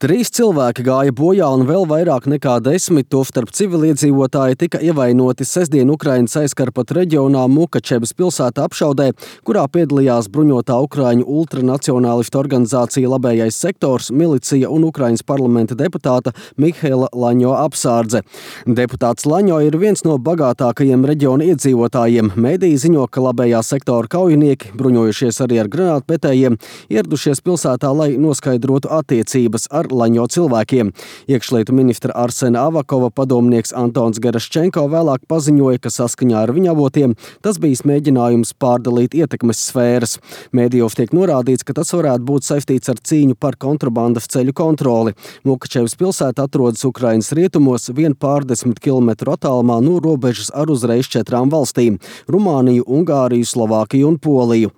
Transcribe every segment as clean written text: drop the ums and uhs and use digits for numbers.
3 cilvēki gāja bojā un vēl vairāk nekā 10, tostarp civiliedzīvotāji, tika ievainoti sestdien Ukrainas aizkarpat reģionā Mukačevas pilsētā apšaudē, kurā piedalījās bruņotā ukraiņu ultranacionālistu organizācija Labējais sektors, milicija un Ukrainas parlamenta deputāta Mihaila Laņo apsārdze. Deputāts Laņo ir viens no bagātākajiem reģiona iedzīvotājiem. Mēdīji ziņo, ka Labējā sektora kaujinieki, bruņojušies arī ar granātmetējiem, ieradušies pilsētā, lai noskaidrotu attiecības ar Laņo cilvēkiem. Iekšlietu ministra Arsena Avakova padomnieks Antons Geraščenko vēlāk paziņoja, ka saskaņā ar viņa avotiem tas bijis mēģinājums pārdalīt ietekmes sfēras. Mēdījos tiek norādīts, ka tas varētu būt saistīts ar cīņu par kontrabandas ceļu kontroli. Mukačevas pilsēta atrodas Ukrainas rietumos, vien pārdesmit kilometru attālumā no robežas ar uzreiz 4 valstīm – Rumāniju, Ungāriju, Slovākiju un Poliju.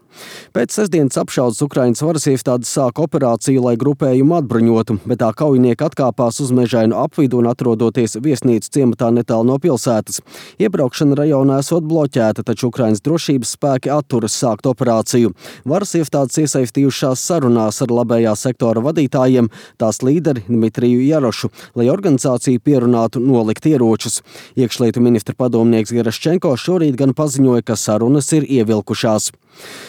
Pēc sestdienas apšaudes Ukrainas varas iestādes sāka operāciju, lai grupējumu atbruņotu, bet tā kaujinieki atkāpās uz mežainu apvidu un atrodoties viesnīcas ciematā netālu no pilsētas. Iebraukšana rajonā esot bloķēta, taču Ukrainas drošības spēki atturas sākt operāciju. Varas iestādes iesaistījušās sarunās ar Labējā sektora vadītājiem, tās līderi Dmitriju Jarošu, lai organizācija pierunātu nolikt ieročus. Iekšlietu ministra padomnieks Geraščenko šorīt gan paziņoja, ka sarunas ir ievilkušās.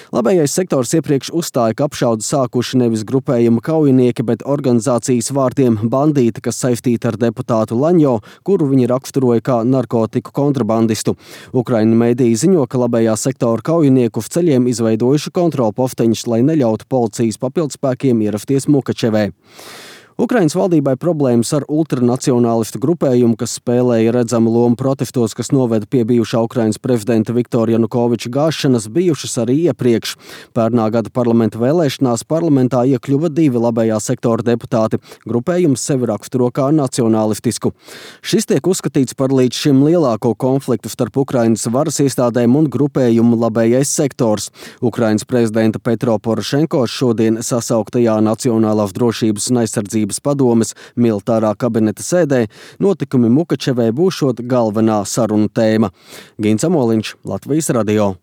Labējais sektors iepriekš uzstāja, ka apšaudi sākuši nevis grupējuma kaujinieki, bet organizācijas vārtiem bandīti, kas saistīti ar deputātu Laņo, kuru viņi raksturoja kā narkotiku kontrabandistu. Ukraiņu mēdīji ziņo, ka Labējā sektora kaujinieku uz ceļiem izveidojuši kontrolposteņus, lai neļautu policijas papildspēkiem ierasties Mukačevē. Ukrainas valdībai problēmas ar ultranacionālistu grupējumu, kas spēlēja redzamu lomu protestos, kas noveda pie bijušā Ukrainas prezidenta Viktora Janukoviča gāšanas, bijušas arī iepriekš. Pērnā gada parlamenta vēlēšanās parlamentā iekļuva 2 Labējā sektora deputāti. Grupējums sevi raksturo kā nacionālistisku. Šis tiek uzskatīts par līdz šim lielāko konfliktu starp Ukrainas varas iestādēm un grupējumu Labējais sektors. Ukrainas prezidenta Petro Porošenko šodien sasauktajā Nacionālās drošības un aizsardzības padomes militārā kabineta sēdē notikumi Mukačevē būšot galvenā sarunu tēma. Gins Amoliņš, Latvijas radio.